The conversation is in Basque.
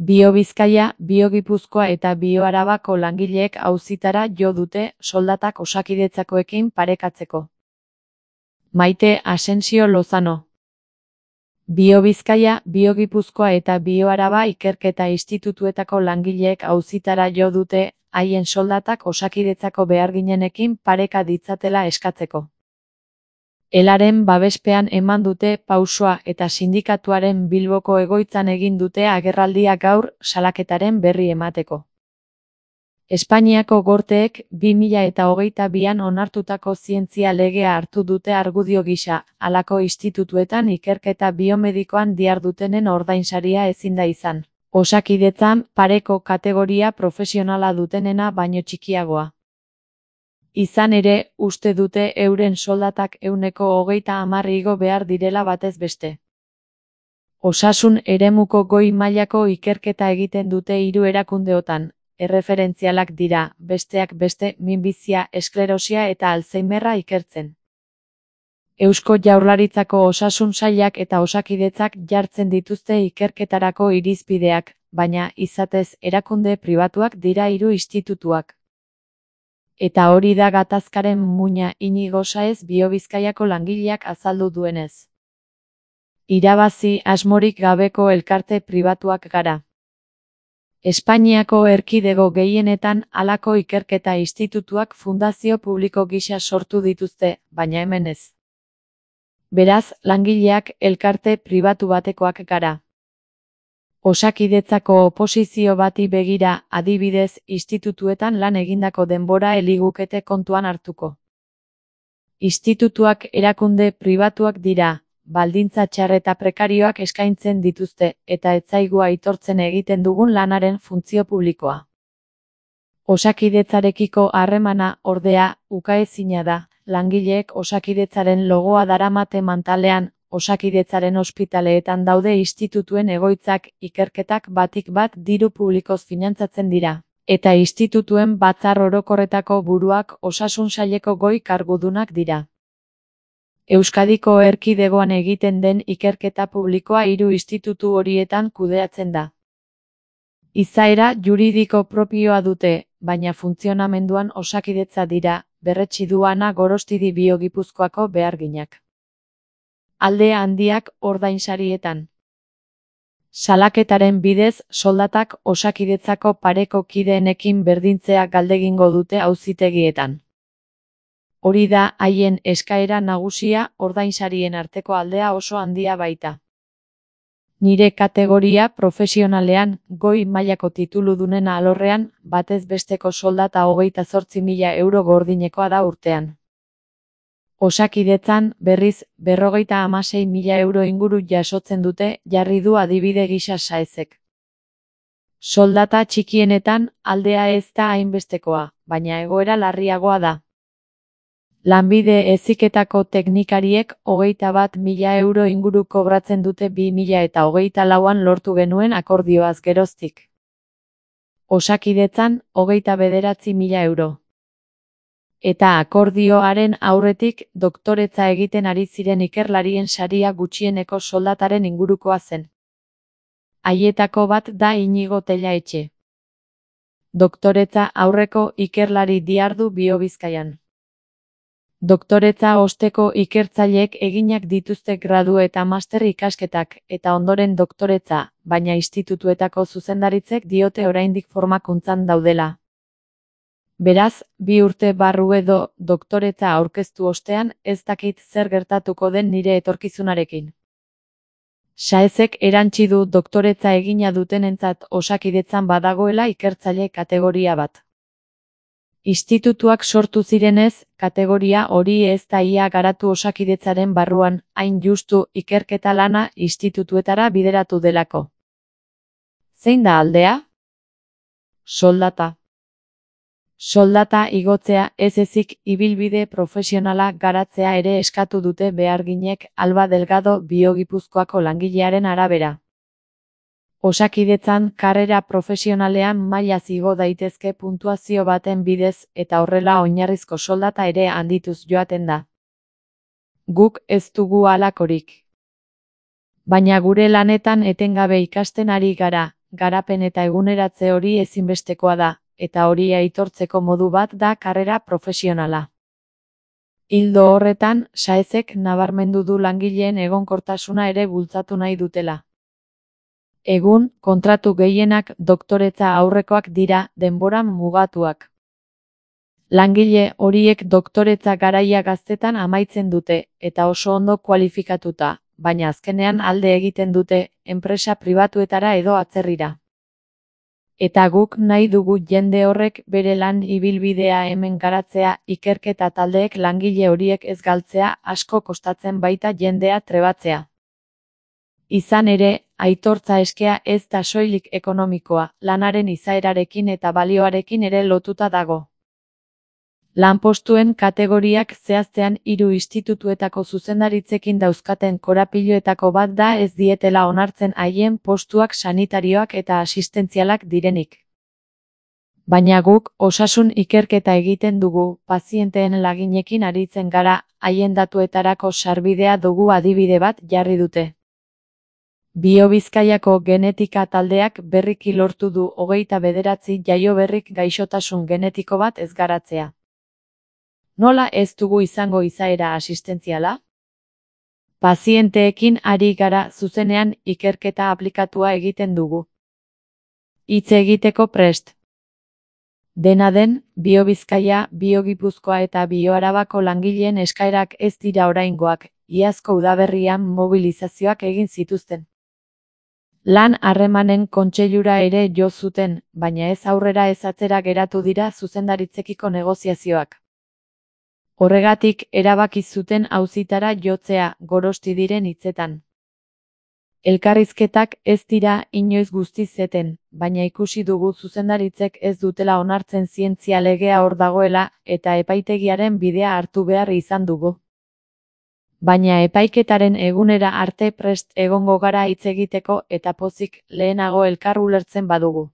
Bio Bizkaia, Bio Gipuzkoa eta Bio Arabako langileek auzitara jo dute soldatak Osakidetzakoekin parekatzeko. Maite Asensio Lozano. Bio Bizkaia, Bio Gipuzkoa eta Bio Araba ikerketa institutuetako langileek auzitara jo dute haien soldatak Osakidetzako beharginenekin pareka ditzatela eskatzeko. Elaren babespean eman dute pausoa eta sindikatuaren Bilboko egoitzan egin dute agerraldia gaur salaketaren berri emateko. Espainiako gorteek 2022an onartutako zientzia legea hartu dute argudio gisa, halako institutuetan ikerketa biomedikoan dihardutenen ordainsaria ezin da izan. Osakidetzan pareko kategoria profesionala dutenena baino txikiagoa. Izan ere, uste dute euren soldatak 130 igo behar direla batez beste. Osasun eremuko goi mailako ikerketa egiten dute 3 erakundeotan, erreferentzialak dira, besteak beste minbizia, esklerosia eta Alzheimerra ikertzen. Eusko Jaurlaritzako Osasun Sailak eta Osakidetzak jartzen dituzte ikerketarako irizpideak, baina izatez erakunde pribatuak dira 3 institutuak. Eta hori da gatazkaren muina Inigo Saez Bio Bizkaiako langileak azaldu duenez. Irabazi asmorik gabeko elkarte pribatuak gara. Espainiako erkidego gehienetan halako ikerketa institutuak fundazio publiko gisa sortu dituzte, baina hemen ez. Beraz, langileak elkarte pribatu batekoak gara. Osakidetzako oposizio bati begira, adibidez, institutuetan lan egindako denbora eligukete kontuan hartuko. Institutuak erakunde pribatuak dira, baldintza txar eta prekarioak eskaintzen dituzte, eta ez zaigu aitortzen egiten dugun lanaren funtzio publikoa. Osakidetzarekiko harremana, ordea, ukaezina da, langileek Osakidetzaren logoa daramate mantalean, Osakidetzaren ospitaleetan daude institutuen egoitzak, ikerketak batik bat diru publikoz finantzatzen dira, eta institutuen batzar orokorretako buruak Osasun Saileko goi kargudunak dira. Euskadiko erkidegoan egiten den ikerketa publikoa 3 institutu horietan kudeatzen da. Izaera juridiko propioa dute, baina funtzionamenduan Osakidetza dira, berretsi du Ana Gorostidi Bio Gipuzkoako beharginak. Alde handiak ordainsarietan. Salaketaren bidez, soldatak Osakidetzako pareko kideenekin berdintzea galdegingo dute auzitegietan. Hori da haien eskaera nagusia, ordainsarien arteko aldea oso handia baita. Nire kategoria profesionalean, goi mailako tituludunen alorrean, batez besteko soldata 28.000 euro gordinekoa da urtean. Osakidetzan, berriz, 56.000 euro inguru jasotzen dute, jarri du adibide gisa Saezek. Soldata txikienetan, aldea ez da hainbestekoa, baina egoera larriagoa da. Lanbide heziketako teknikariek 21.000 euro inguru kobratzen dute 2024an lortu genuen akordioaz geroztik. Osakidetzan, 29.000 euro. Eta akordioaren aurretik, doktoretza egiten ari ziren ikerlarien saria gutxieneko soldataren ingurukoa zen. Haietako bat da Inigo Tellaetxe. Doktoretza aurreko ikerlari dihardu Bio Bizkaian. Doktoretza osteko ikertzaileek eginak dituzte gradu eta master ikasketak, eta ondoren doktoretza, baina institutuetako zuzendaritzek diote oraindik formakuntzan daudela. Beraz, 2 urte barru edo doktoretza aurkeztu ostean ez dakit zer gertatuko den nire etorkizunarekin. Saezek erantsi du doktoretza egina dutenentzat Osakidetzan badagoela ikertzaile kategoria bat. Institutuak sortu zirenez, kategoria hori ez da ia garatu Osakidetzaren barruan, hain justu ikerketa lana institutuetara bideratu delako. Zein da aldea? Soldata. Soldata igotzea ez ezik ibilbide profesionala garatzea ere eskatu dute beharginek Alba Delgado Bio Gipuzkoako langilearen arabera. Osakidetzan karrera profesionalean mailaz igo daitezke puntuazio baten bidez eta horrela oinarrizko soldata ere handituz joaten da. Guk ez dugu halakorik. Baina gure lanetan etengabe ikasten ari gara, garapen eta eguneratze hori ezinbestekoa da, eta hori aitortzeko modu bat da karrera profesionala. Ildo horretan, Saezek nabarmendu du langileen egonkortasuna ere bultzatu nahi dutela. Egun, kontratu gehienak doktoretza aurrekoak dira, denboran mugatuak. Langile horiek doktoretza garaia gaztetan amaitzen dute, eta oso ondo kualifikatuta, baina azkenean alde egiten dute, enpresa pribatuetara edo atzerrira. Eta guk nahi dugu jende horrek bere lan ibilbidea hemen garatzea, ikerketa taldeek langile horiek ez galtzea, asko kostatzen baita jendea trebatzea. Izan ere, aitortza eskea ez da soilik ekonomikoa, lanaren izaerarekin eta balioarekin ere lotuta dago. Lanpostuen kategoriak zehaztean 3 institutuetako zuzendaritzekin dauzkaten korapiloetako bat da ez dietela onartzen haien postuak sanitarioak eta asistentzialak direnik. Baina guk osasun ikerketa egiten dugu, pazienteen laginekin aritzen gara, haien datuetarako sarbidea dugu adibide bat jarri dute. BioBizkaiako genetika taldeak berriki lortu du 29 jaioberrik gaixotasun genetiko bat ez garatzea. Nola ez dugu izango izaera asistentziala? Pazienteekin ari gara zuzenean ikerketa aplikatua egiten dugu. Hitz egiteko prest. Dena den, BioBizkaia, BioGipuzkoa eta BioArabako langileen eskaerak ez dira oraingoak, iazko udaberrian mobilizazioak egin zituzten. Lan harremanen kontseilura ere jo zuten, baina ez aurrera ez atzera geratu dira zuzendaritzekiko negoziazioak. Horregatik erabaki zuten auzitara jotzea, Gorosti diren hitzetan. Elkarrizketak ez dira inoiz guztiz eten, baina ikusi dugu zuzendaritzek ez dutela onartzen zientzia legea hor dagoela, eta epaitegiaren bidea hartu behar izan dugu. Baina epaiketaren egunera arte prest egongo gara hitz egiteko eta pozik lehenago elkar ulertzen badugu.